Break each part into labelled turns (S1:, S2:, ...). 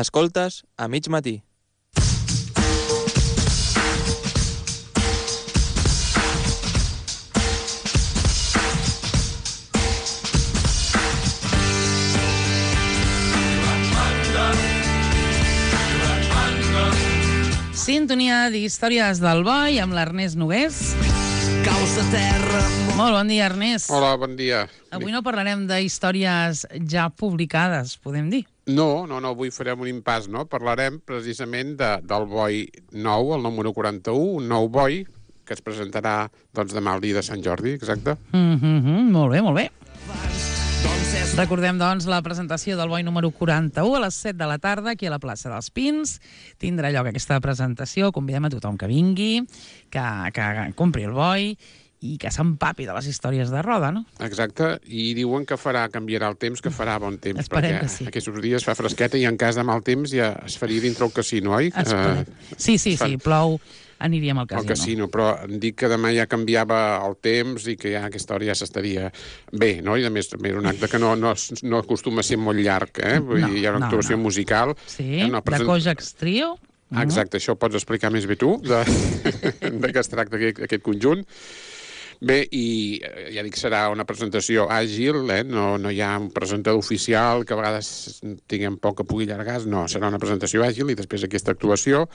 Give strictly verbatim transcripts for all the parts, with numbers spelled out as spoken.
S1: Escoltes a mig matí.
S2: Sintonia d'Històries del Boi amb l'Ernest Nogués.
S3: Caus de terra...
S2: Molt bon dia, Ernest.
S4: Hola, bon dia.
S2: Avui no parlarem d'històries ja publicades, podem dir?
S4: No, no, no, avui farem un impàs, no? Parlarem precisament de, del boi nou, el número quaranta-u, un nou boi que es presentarà doncs, demà al dia de Sant Jordi, exacte.
S2: Mm-hmm, molt bé, molt bé. Recordem, doncs, la presentació del boi número quaranta-u a les set de la tarda aquí a la plaça dels Pins. Tindrà lloc aquesta presentació. Convidem a tothom que vingui, que, que compri el boi i que s'empapi de les històries de Roda, no?
S4: Exacte, i diuen que farà, canviarà el temps, que farà bon temps.
S2: Esperem
S4: perquè
S2: que sí.
S4: Aquests dies fa fresqueta i en cas de mal temps ja es faria dintre el casino, oi?
S2: Esperem. Sí, sí, sí, plou, aniríem al casino.
S4: Al casino, però em dic que demà ja canviava el temps i que ja aquesta hora ja s'estaria bé, no? I a més també era un acte que no, no, no acostuma a ser molt llarg, eh? Vull
S2: No,
S4: dir, hi ha una
S2: no,
S4: actuació
S2: no.
S4: musical.
S2: Sí,
S4: eh? Una
S2: de
S4: present-
S2: Kojaks Trio.
S4: Exacte, això ho pots explicar més bé tu, de, de què es tracta aquest, aquest conjunt. Bé, i ja dic, serà una presentació àgil, eh? no, no hi ha un presentador oficial que a vegades tinguem poc que pugui allargar, no, serà una presentació àgil i després aquesta actuació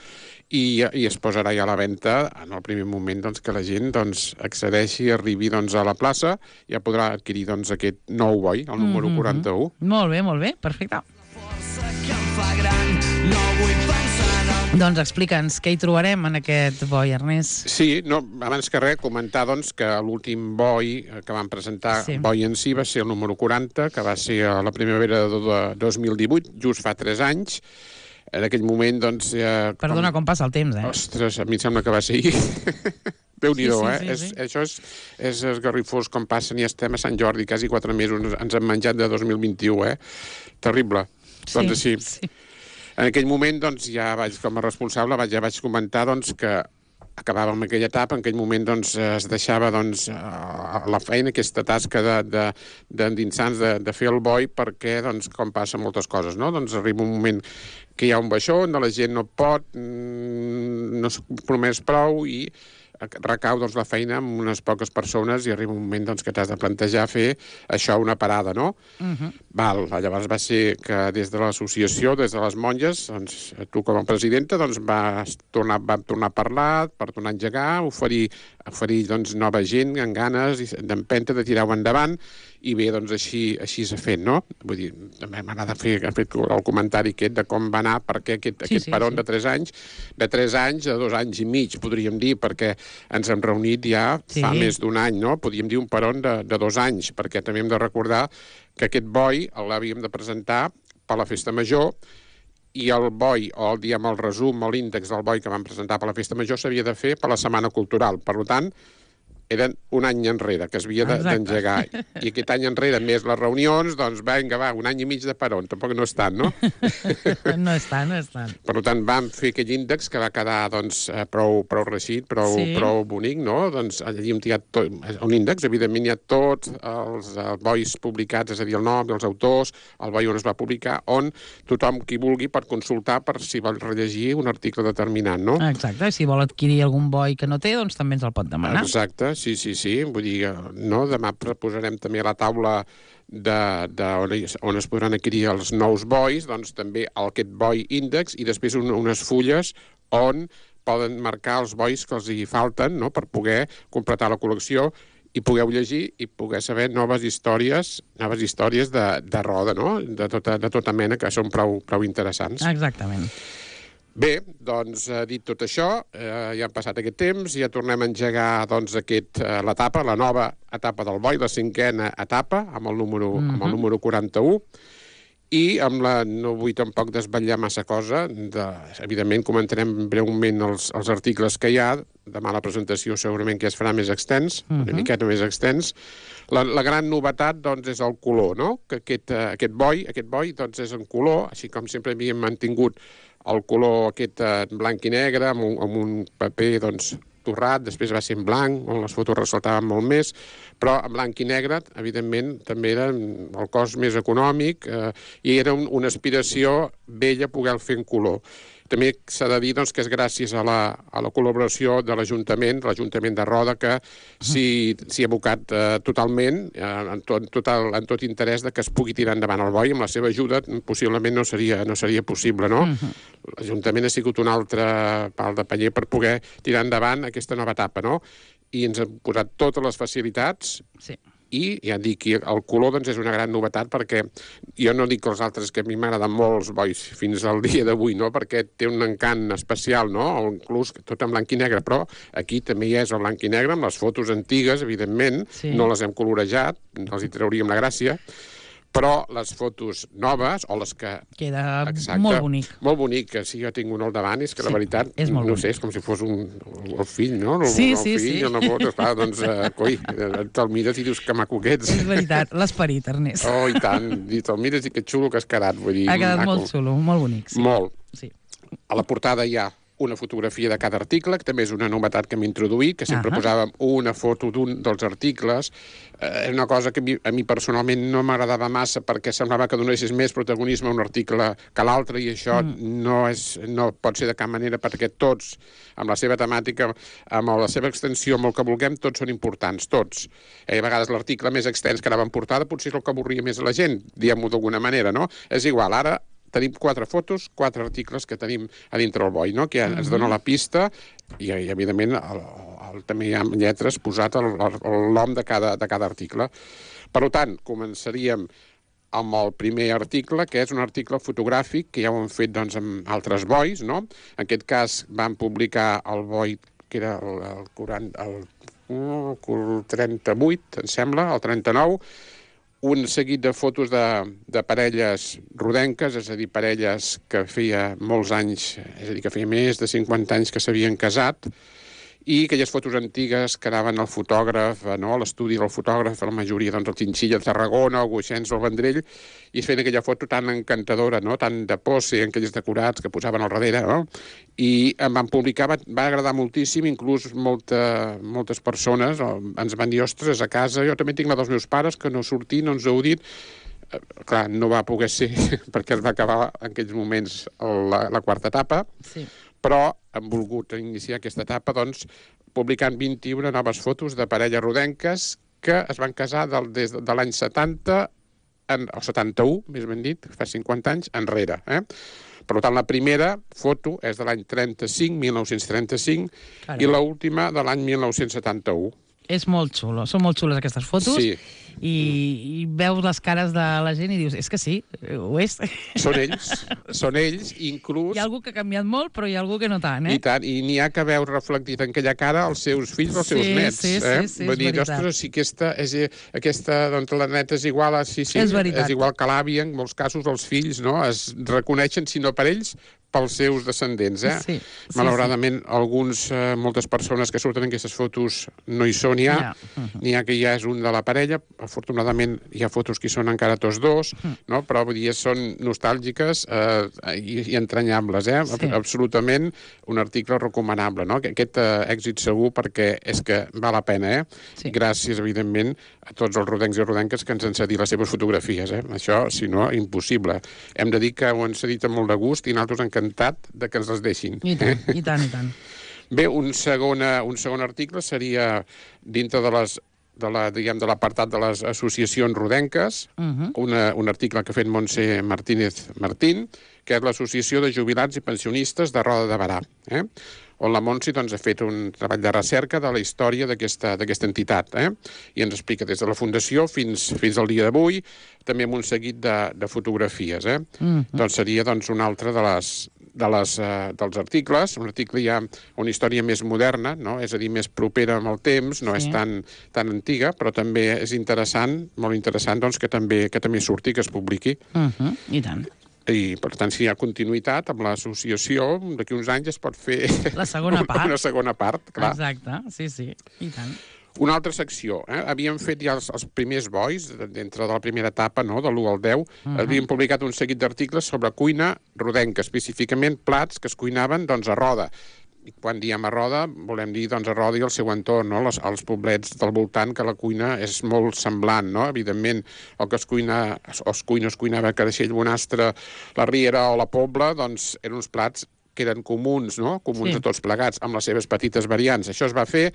S4: i, i es posarà ja a la venda en el primer moment doncs, que la gent doncs, accedeixi, arribi doncs, a la plaça, ja podrà adquirir doncs, aquest nou boi, el número
S2: Mm-hmm.
S4: quaranta-u.
S2: Molt bé, molt bé, perfecte.
S3: Força que em fa gran, no vull pensar en el...
S2: Doncs explica'ns què hi trobarem en aquest boi, Ernest.
S4: Sí, no, abans que res, comentar doncs, que l'últim boi que van presentar,
S2: Sí.
S4: sí. boi en si, va ser el número quaranta, que va ser a la primavera de, de dos mil divuit, just fa tres anys. En aquell moment, doncs... Ja,
S2: Perdona, com passa el temps, eh?
S4: Ostres, a mi em sembla que va ser ahir. Déu-n'hi-do,
S2: Sí, sí,
S4: eh?
S2: sí,
S4: és,
S2: sí.
S4: Això és, és esgarrifós com passen i estem a Sant Jordi, quasi quatre mesos, ens hem menjat de dos mil vint-i-u, eh? Terrible. Doncs així.
S2: Sí.
S4: En aquell moment, doncs, ja vaig, com a responsable, vaig, ja vaig comentar doncs, que acabàvem aquella etapa, en aquell moment doncs, es deixava doncs, a la feina, aquesta tasca d'endinsar-nos, de, de, de fer el boi, perquè, doncs, com passa moltes coses, no? Doncs arriba un moment que hi ha un baixó, on la gent no pot, no es promès prou i recau doncs, la feina amb unes poques persones i arriba un moment doncs, que t'has de plantejar fer això una parada, no?
S2: Uh-huh.
S4: Val, llavors va ser que des de l'associació, des de les monges, doncs, tu com a presidenta doncs, vas tornar, vam tornar a parlar per tornar a engegar, oferir, oferir doncs, nova gent amb ganes d'empenta, de tirar-ho endavant, i bé, doncs així, així s'ha fet, no? Vull dir, també m'agrada fer aquest, el comentari aquest de com va anar, perquè aquest,
S2: Sí,
S4: aquest
S2: sí,
S4: peron
S2: sí.
S4: de tres anys, de tres anys a dos anys i mig, podríem dir, perquè ens hem reunit ja
S2: Sí.
S4: fa més d'un any, no? Podríem dir un peron de, de dos anys, perquè també hem de recordar que aquest boi l'havíem de presentar per la Festa Major i el boi, o el, diguem, el resum o l'índex del boi que vam presentar per la Festa Major s'havia de fer per la Setmana Cultural. Per tant, eren un any enrere que es havia de-
S2: Exacte.
S4: d'engegar. I aquest any enrere, més les reunions, doncs vinga, va, un any i mig de peron. Tampoc no és tant, no?
S2: No és tant, no és tant.
S4: Per tant, vam fer aquell índex que va quedar doncs, eh, prou, prou reixit, prou,
S2: Sí.
S4: prou bonic, no? Doncs allí hem tirat tot, un índex, evidentment hi ha tots els, els bois publicats, és a dir, el nom, els autors, el boi on es va publicar, on tothom qui vulgui pot consultar per si vol rellegir un article determinat, no?
S2: Exacte, si vol adquirir algun boi que no té, doncs també ens el pot demanar.
S4: Exacte, sí, sí, sí. Vull dir, eh, no? Demà posarem també a la taula de, de on, es, on es podran adquirir els nous bois, doncs també aquest boi índex i després un, unes fulles on poden marcar els bois que els hi falten, no?, per poder completar la col·lecció i pugueu llegir i poder saber noves històries, noves històries de, de roda, no?, de tota, de tota mena, que són prou, prou interessants.
S2: Exactament.
S4: Bé, doncs, eh, dit tot això, eh, ja han passat aquest temps, ja tornem a engegar doncs, aquest, eh, l'etapa, la nova etapa del boi, la cinquena etapa, amb el número, mm-hmm. amb el número quaranta-u, i amb la, no vull tampoc desvetllar massa cosa, de, evidentment comentarem breument els, els articles que hi ha, demà la presentació segurament que es farà més extens, mm-hmm. una miqueta més extens. La, la gran novetat doncs, és el color, no? Que aquest, eh, aquest boi, aquest boi doncs, és en color, així com sempre havíem mantingut el color aquest eh, blanc i negre, amb un, amb un paper doncs, torrat, després va ser en blanc, on les fotos ressaltaven molt més, però en blanc i negre, evidentment, també era el cost més econòmic eh, i era un, una aspiració bella poder fer en color. També s'ha de dir doncs, que és gràcies a la, a la col·laboració de l'Ajuntament, l'Ajuntament de Roda, que s'hi ha abocat eh, totalment, eh, en, tot, total, en tot interès de que es pugui tirar endavant el boi. Amb la seva ajuda possiblement no seria, no seria possible, no? Uh-huh. L'Ajuntament ha sigut un altre pal de paller per poder tirar endavant aquesta nova etapa, no? I ens han posat totes les facilitats.
S2: Sí.
S4: I ja et dic, el color doncs, és una gran novetat perquè jo no dic que els altres, que a mi m'agraden molt els bois fins al dia d'avui, no? Perquè té un encant especial, no? O inclús tot en blanc i negre, però aquí també hi és el blanc i negre, amb les fotos antigues, evidentment, sí. No les hem colorejat, els hi trauríem la gràcia, però les fotos noves, o les que...
S2: Queda
S4: exacte,
S2: molt bonic.
S4: Molt bonic, que si jo tinc un al davant, és que sí, la veritat, no bonic. Sé, és com si fos un, el fill, no? El,
S2: sí,
S4: el
S2: sí,
S4: fill,
S2: sí.
S4: Una foto, esclar, doncs, uh, coi, te'l mires i dius que maco que ets.
S2: És veritat, l'esperit, Ernest.
S4: Oh, i tant, i te'l mires i que xulo que has quedat, vull dir...
S2: Ha quedat
S4: maco.
S2: molt xulo, molt bonic. Sí.
S4: Molt.
S2: Sí.
S4: A la portada hi ha una fotografia de cada article, que també és una novetat que hem introduït, que sempre uh -huh. posàvem una foto d'un dels articles. Eh, és una cosa que a mi, a mi personalment no m'agradava massa perquè semblava que donessis més protagonisme a un article que a l'altre, i això mm. no, és, no pot ser de cap manera, perquè tots, amb la seva temàtica, amb la seva extensió, amb el que vulguem, tots són importants, tots. Eh, a vegades l'article més extens que anava en portada potser és el que avorria més a la gent, diguem-ho d'alguna manera, no? És igual, ara tenim quatre fotos, quatre articles que tenim a dintre el boi, no? Que ens uh-huh. dona la pista i, i evidentment, el, el, també hi ha lletres posat el, el, el nom de cada, de cada article. Per tant, començaríem amb el primer article, que és un article fotogràfic, que ja ho hem fet doncs, amb altres bois, no? En aquest cas vam publicar el boi, que era el, el, quaranta, el, el trenta-vuit, em sembla, el trenta-nou, un seguit de fotos de, de parelles rodenques, és a dir, parelles que feia molts anys, és a dir, que feia més de cinquanta anys que s'havien casat, i aquelles fotos antigues que anaven al fotògraf, no? A l'estudi del fotògraf, la majoria, doncs, el Chinchilla de Tarragona, el Guixens del Vendrell, i es feien aquella foto tan encantadora, no? Tan de pose, en aquells decorats que posaven al darrere, no? I em van publicar, va, va agradar moltíssim, inclús molta, moltes persones oh, ens van dir, ostres, a casa, jo també tinc la dels meus pares, que no sortir, no ens heu dit. Eh, clar, no va poder ser, perquè es va acabar en aquells moments la, la quarta etapa, sí. Però hem volgut iniciar aquesta etapa doncs, publicant vint-i-una noves fotos de parelles rodenques que es van casar del, des de, de l'any setanta, en, o setanta-u, més ben dit, fa cinquanta anys, enrere. Eh? Per tant, la primera foto és de l'any trenta-cinc, mil nou-cents trenta-cinc, Carai. I l'última de l'any mil nou-cents setanta-u.
S2: És molt xulo, són molt xules aquestes fotos.
S4: Sí.
S2: I, i veus les cares de la gent i dius, és que sí, ho és.
S4: Són ells, són ells, inclús...
S2: Hi ha algú que ha canviat molt, però hi ha algú que no tant, eh?
S4: I tant, i n'hi ha que veus reflectit en aquella cara els seus fills o els
S2: sí,
S4: seus nets.
S2: Sí,
S4: eh?
S2: sí, sí,
S4: Vull
S2: és
S4: dir,
S2: veritat.
S4: ostres, si aquesta, és, aquesta doncs, la neta és igual a... Sí, sí,
S2: és veritat.
S4: És igual que l'àvia, en molts casos els fills, no? Es reconeixen, si no per ells, pels seus descendents, eh?
S2: Sí, sí,
S4: malauradament, sí. alguns, eh, moltes persones que surten en aquestes fotos no hi són ja, ja. Uh-huh. N'hi ha que ja és un de la parella, afortunadament hi ha fotos que hi són encara tots dos, uh-huh. no? Però vull dir, són nostàlgiques eh, i, i entranyables, eh? Sí. Absolutament un article recomanable, no? Aquest eh, èxit segur perquè és que val la pena, eh? Sí. Gràcies, evidentment, a tots els rodencs i rodenques que ens han cedit les seves fotografies, eh? Això, si no, impossible. Hem de dir que ho han cedit amb molt de gust i nosaltres encantat de que ens les deixin.
S2: I tant, i tant, i tant.
S4: Bé, un segon, un segon article seria dintre de les de la, diguem, de l'apartat de les associacions rodenques, uh-huh. una, un article que ha fet Montse Martínez Martín, que és l'Associació de Jubilats i Pensionistes de Roda de Berà, eh? On la Montse doncs, ha fet un treball de recerca de la història d'aquesta entitat, eh? I ens explica des de la fundació fins, fins al dia d'avui, també amb un seguit de, de fotografies. Eh? Uh-huh. Doncs seria doncs, una altra de les, de les, uh, dels articles, un article ja una història més moderna, no? És a dir, més propera amb el temps, no sí. És tan, tan antiga, però també és interessant, molt interessant, doncs, que també, que també surti, que es publiqui.
S2: Uh-huh. I tant.
S4: I, per tant, si hi ha continuïtat amb l'associació, d'aquí uns anys es pot fer
S2: la segona part.
S4: una segona part, clar.
S2: Exacte, sí, sí, i tant.
S4: Una altra secció, eh? Havíem fet ja els, els primers bois, dintre de la primera etapa, no?, de l'u al deu, uh-huh. havíem publicat un seguit d'articles sobre cuina rodenca, específicament plats que es cuinaven, doncs, a Roda. i quan diem a Roda, volem dir doncs, a Roda i el seu entorn, no? Les, els poblets del voltant, que la cuina és molt semblant, no? Evidentment, el que es cuina, o es cuina, es cuinava a Creixell, Bonastre, la Riera o la Pobla, doncs eren uns plats que eren comuns, no? Comuns
S2: Sí.
S4: a tots plegats, amb les seves petites variants. Això es va fer,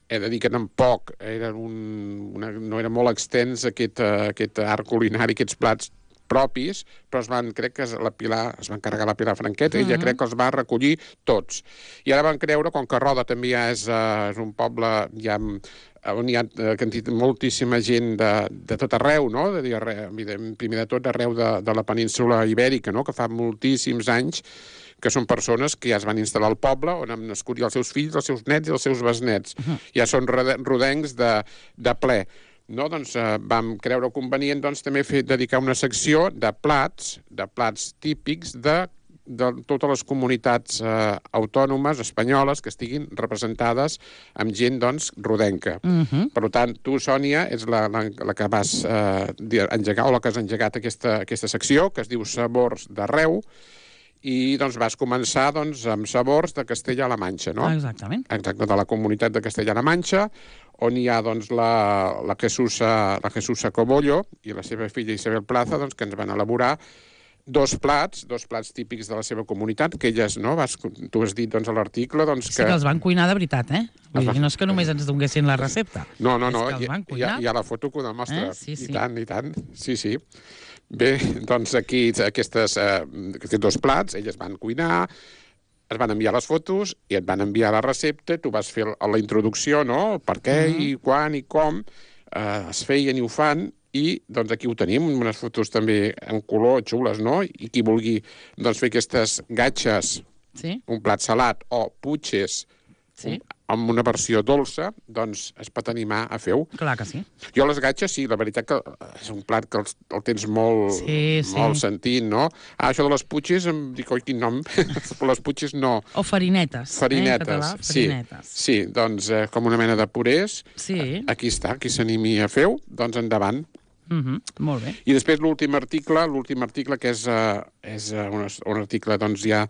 S4: he de dir que tampoc era un, una, no era molt extens aquest, uh, aquest art culinari, aquests plats propis, però es van, crec que la Pilar, es van carregar la Pilar Franqueta, i ella crec que els va recollir tots. I ara van creure, com que Roda també ja és, uh, és un poble ja, on hi ha uh, moltíssima gent de, de tot arreu, no? De dir, arreu, primer de tot arreu de, de la península ibèrica, no? Que fa moltíssims anys que són persones que ja es van instal·lar al poble, on han nascut ja els seus fills, els seus nets i els seus besnets. Uh -huh. Ja són rodencs de, de ple. No, doncs eh, vam creure convenient doncs, també fer, dedicar una secció de plats, de plats típics de, de totes les comunitats eh, autònomes espanyoles que estiguin representades amb gent doncs, rodenca.
S2: Uh -huh.
S4: Per tant, tu, Sònia, ets la, la, la que vas eh, engegar, o la que has engegat aquesta, aquesta secció, que es diu Sabors d'Arreu, i doncs, vas començar doncs, amb Sabors de Castella-La Manxa, no?
S2: Exactament.
S4: Exacte, de la comunitat de Castella-La Manxa, on hi ha doncs, la, la, Jesusa, la Jesusa Cobollo i la seva filla Isabel Plaza, doncs, que ens van elaborar dos plats, dos plats típics de la seva comunitat, que elles, no, vas, tu has dit doncs, a l'article... Doncs,
S2: Sí que els van cuinar de veritat, eh? Vull
S4: va-
S2: dir, no és que només ens donguessin la recepta.
S4: No, no,
S2: És
S4: no,
S2: que els
S4: hi,
S2: van
S4: hi, ha,
S2: cuinar.
S4: hi ha la foto que ho demostra.
S2: Eh? Sí, sí.
S4: I tant, i tant. Sí, sí. Bé, doncs aquí aquestes, eh, aquests dos plats, elles van cuinar, es van enviar les fotos i et van enviar la recepta, tu vas fer la introducció, no? Per què,
S2: Mhm.
S4: i quan, i com, eh, es feien i ho fan, i doncs aquí ho tenim, unes fotos també en color, xules, no? I qui vulgui doncs, fer aquestes gatxes,
S2: Sí,
S4: un plat salat, o putxes,
S2: sí,
S4: amb una versió dolça, doncs es pot animar a fer-ho.
S2: clar que sí.
S4: Jo les gatxes, sí, la veritat que és un plat que el, el tens molt,
S2: Sí, sí.
S4: molt sentit, no? Ah, això de les putxes, em dic, oi, quin nom? Però les putxes no.
S2: O farinetes.
S4: Farinetes,
S2: Eh, en català,
S4: sí.
S2: farinetes.
S4: Sí, doncs eh, com una mena de purés.
S2: Sí.
S4: Aquí està, qui s'animi a fer-ho, doncs endavant.
S2: Mhm, molt bé.
S4: I després l'últim article, l'últim article que és, uh, és uh, un, un article doncs ja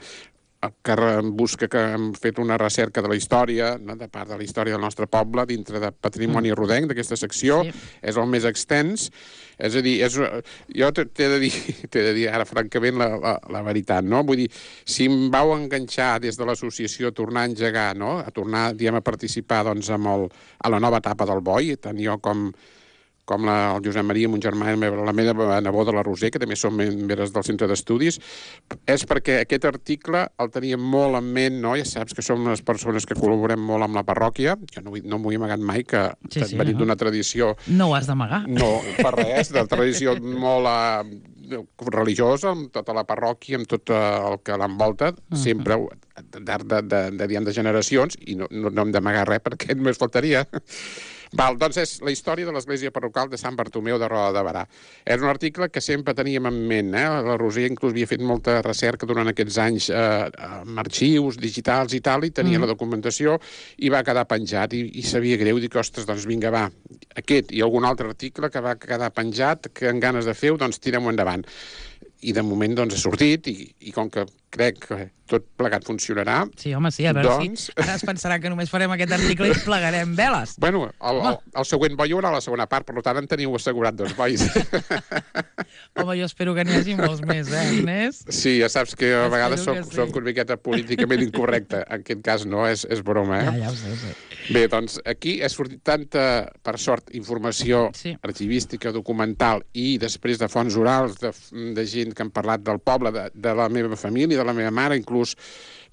S4: que busca que hem fet una recerca de la història, no? De part de la història del nostre poble, dintre de Patrimoni mm. Rodenc, d'aquesta secció,
S2: Sí.
S4: és el més extens. És a dir, és, jo t'he de dir, t'he de dir ara, francament, la, la, la veritat, no? Vull dir, si em vau enganxar des de l'associació a tornar a engegar, no? A tornar, diguem, a participar, doncs, amb el, a la nova etapa del boi, tant jo com com la, el Josep Maria, mon germà, la meva neboda, la Roser, que també són membres del centre d'estudis, és perquè aquest article el teníem molt en ment, no? Ja saps que som unes persones que col·laborem molt amb la parròquia, jo no, no m'ho he amagat mai, que
S2: Sí,
S4: sí,
S2: sí,
S4: venim
S2: no?
S4: d'una tradició,
S2: No ho has d'amagar.
S4: no per res, de tradició molt eh, religiosa, amb tota la parròquia, amb tot eh, el que l'envolta, sempre d'art de, de, de, de, de generacions, i no, no, no hem d'amagar res perquè només faltaria. Val, doncs és la història de l'església parroquial de Sant Bartomeu de Roda de Barà. És un article que sempre teníem en ment, eh? La Roser inclús havia fet molta recerca durant aquests anys eh, amb arxius digitals i tal, i tenia mm. la documentació, i va quedar penjat, i, i sabia greu, dic, ostres, doncs vinga, va, aquest i algun altre article que va quedar penjat, que en ganes de fer-ho, doncs tirem-ho endavant. I de moment doncs ha sortit, i, i com que crec que tot plegat funcionarà...
S2: Sí, home, sí, a veure
S4: doncs...
S2: si ara es pensaran que només farem aquest article i plegarem veles.
S4: Bueno, el, el, el següent boi hi haurà la segona part, per tant en teniu assegurat dos bois.
S2: Home, jo espero que n'hi hagi molts més, eh, Ernest?
S4: Sí, ja saps que a
S2: Espero
S4: vegades soc,
S2: que sí.
S4: soc una miqueta políticament incorrecte. En aquest cas no, és, és broma, eh?
S2: Ja, ja ho sé, ho sé.
S4: Bé, doncs aquí ha sortit tanta, per sort, informació
S2: Sí.
S4: arxivística, documental i després de fonts orals, de, de gent que han parlat del poble, de, de la meva família, de la meva mare, inclús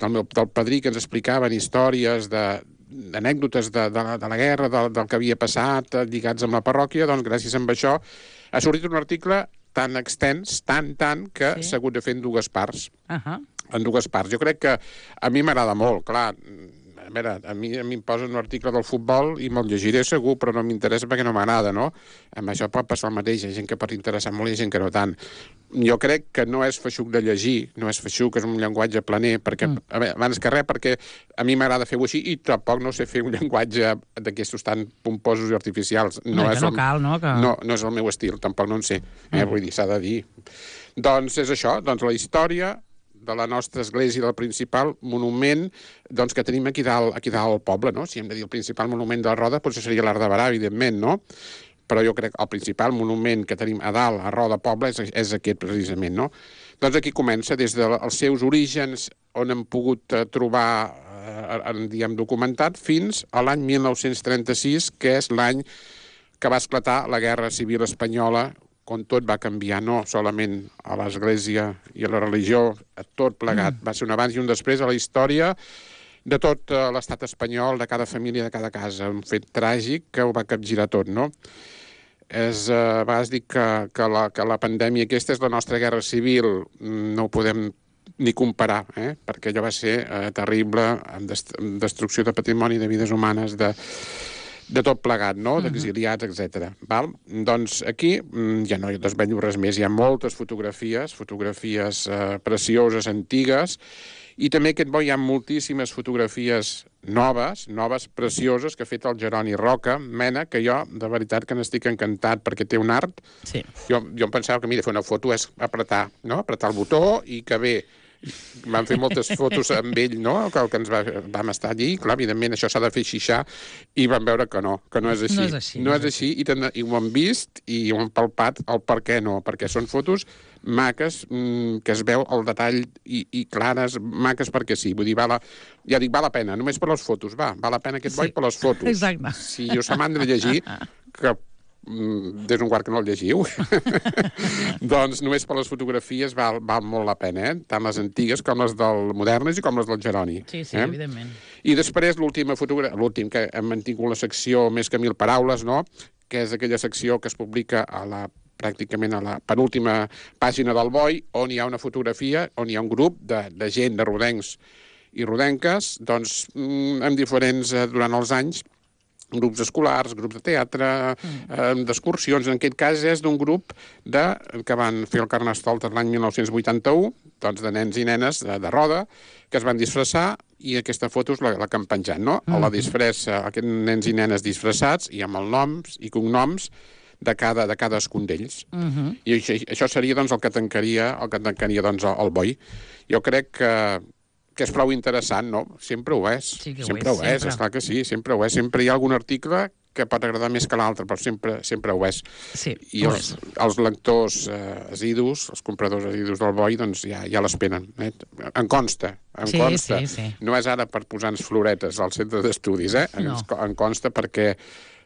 S4: del, meu, del padrí, que ens explicaven històries de d'anècdotes de, de, la, de la guerra, del, del que havia passat, eh, lligats amb la parròquia, doncs gràcies a això ha sortit un article tan extens, tan, tan, que
S2: Sí.
S4: s'ha hagut de fer en dues parts.
S2: Uh -huh.
S4: En dues parts. Jo crec que a mi m'agrada molt, clar. A veure, a mi, a mi em posen un article del futbol i me'l llegiré segur, però no m'interessa perquè no m'agrada, no? Amb això pot passar el mateix. Hi ha gent que pot interessar molt i hi ha gent que no tant. Jo crec que no és feixuc de llegir, no és feixuc, és un llenguatge planer, perquè, mm. a veure, abans que res, perquè a mi m'agrada fer-ho així i tampoc no sé fer un llenguatge d'aquestos tan pomposos i artificials.
S2: No,
S4: és
S2: que no
S4: el,
S2: cal, no? Que...
S4: no, no és el meu estil, tampoc no en sé. Eh? Mm. Vull dir, s'ha de dir. Doncs és això, doncs la història de la nostra església del principal monument doncs, que tenim aquí dalt, aquí dalt al poble, no? Si hem de dir el principal monument de la Roda, doncs seria l'Arc de Barà, evidentment, no? Però jo crec que el principal monument que tenim a dalt, a Roda Poble, és, és aquest precisament, no? Doncs aquí comença, des dels seus orígens, on hem pogut eh, trobar, eh, diguem, documentat, fins a l'any mil nou-cents trenta-sis, que és l'any que va esclatar la Guerra Civil Espanyola, on tot va canviar, no solament a l'Església i a la religió, a tot plegat. Mm. Va ser un abans i un després a la història de tot uh, l'estat espanyol, de cada família, de cada casa. Un fet tràgic que ho va capgirar tot, no? És, uh, vas dir que, que, la, que la pandèmia aquesta és la nostra guerra civil, no ho podem ni comparar, eh? Perquè allò va ser uh, terrible, amb, dest amb destrucció de patrimoni, de vides humanes, de... de tot plegat, no? D'exiliats, etcètera. Val? Doncs aquí ja no hi desvello res més. Hi ha moltes fotografies, fotografies eh, precioses, antigues, i també aquest bo hi ha moltíssimes fotografies noves, noves, precioses, que ha fet el Jeroni Roca, Mena, que jo, de veritat, que n'estic encantat, perquè té un art.
S2: Sí.
S4: Jo, jo em pensava que, mira, fer una foto és apretar, no? Apretar el botó i que bé. Vam fer moltes fotos amb ell, no?, que, que ens va, vam estar allí. Clar, evidentment, això s'ha de fer xixar, i vam veure que no, que no és així.
S2: No és així.
S4: No és així, i, ten, i ho hem vist, i ho hem palpat el per què no, perquè són fotos maques, mmm, que es veu el detall, i, i clares, maques perquè sí. Vull dir, val la, ja dic, val la pena, només per les fotos, va, val la pena aquest
S2: Sí.
S4: boi per les fotos.
S2: Exacte.
S4: Si jo se m'han de llegir, que des d'un quart que no el llegiu, doncs només per les fotografies val, val molt la pena, eh? Tant les antigues com les del modernes i com les del Jeroni.
S2: Sí, sí,
S4: eh?
S2: evidentment.
S4: I després l'última fotografia, l'últim, que hem mantingut la secció Més que mil paraules, no?, que és aquella secció que es publica a la pràcticament a la penúltima pàgina del Boi, on hi ha una fotografia, on hi ha un grup de, de gent, de rodencs i rodenques, doncs, amb diferents, eh, durant els anys, grups escolars, grups de teatre, mm. eh, d'excursions. En aquest cas és d'un grup de, que van fer el Carnestoltes l'any mil nou-cents vuitanta-u, doncs de nens i nenes de, de Roda, que es van disfressar, i aquesta foto és la, la que han penjat, no? Mm. A la disfressa, aquests nens i nenes disfressats, i amb els noms i cognoms de cada de cadascun d'ells. Mm -hmm. I això, això seria doncs, el que tancaria, el que tancaria doncs, el, el Boi. Jo crec que que és prou interessant, no? Sempre ho és.
S2: Sí que ho
S4: sempre
S2: és,
S4: ho és,
S2: sempre.
S4: esclar que sí, sempre ho és. Sempre hi ha algun article que pot agradar més que l'altre, però sempre, sempre ho és.
S2: Sí,
S4: I
S2: ho
S4: els,
S2: és.
S4: els lectors eh, asidus, els compradors asidus del Boi, doncs ja, ja l'esperen. Eh? En consta, en
S2: Sí,
S4: consta.
S2: sí, sí.
S4: No és ara per posar-nos floretes al centre d'estudis, eh?
S2: No.
S4: En, en consta perquè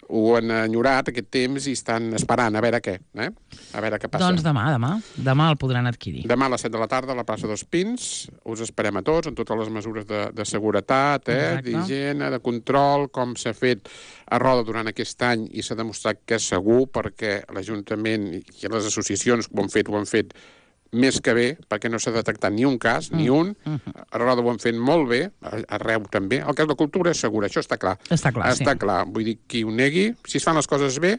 S4: ho han enyorat aquest temps i estan esperant a veure què, eh? A veure què passa.
S2: Doncs demà, demà. Demà el podran adquirir.
S4: Demà a les set de la tarda a la plaça dels Pins. Us esperem a tots, amb totes les mesures de, de seguretat, eh? d'higiene, de control, com s'ha fet a Roda durant aquest any, i s'ha demostrat que és segur, perquè l'Ajuntament i les associacions que ho han fet, ho han fet més que bé, perquè no s'ha detectat ni un cas, mm. ni un. A Roda ho han fet molt bé, arreu també. El cas de cultura és segur, això està clar.
S2: Està clar,
S4: està
S2: sí.
S4: clar. Vull dir, qui ho negui, si es fan les coses bé,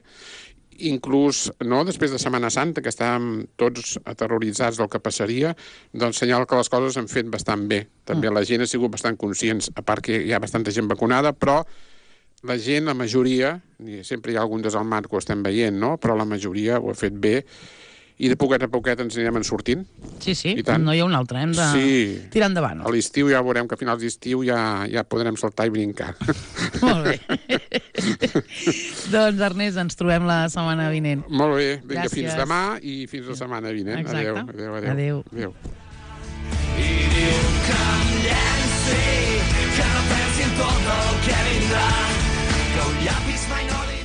S4: inclús no, després de Setmana Santa, que estàvem tots aterroritzats del que passaria, doncs senyala que les coses han fet bastant bé. També mm. la gent ha sigut bastant conscients, a part que hi ha bastanta gent vacunada, però la gent, la majoria, sempre hi ha algun desalmat que ho estem veient, no? Però la majoria ho ha fet bé, i de poquet a poquet ens anirem en sortint.
S2: Sí, sí, no hi ha un altre, hem de
S4: sí.
S2: tirar endavant.
S4: A l'estiu ja veurem que a finals d'estiu ja, ja podrem saltar i brincar.
S2: Molt bé. Doncs, Ernest, ens trobem la setmana vinent.
S4: Molt bé, vinga,
S2: Gràcies.
S4: Fins demà i fins la setmana vinent.
S2: Exacte.
S4: Adéu, adéu, adéu.
S2: Adéu.
S4: adéu.
S3: I diu que em llenci, que no pensi en tot el que vindrà, que un llapis mai no li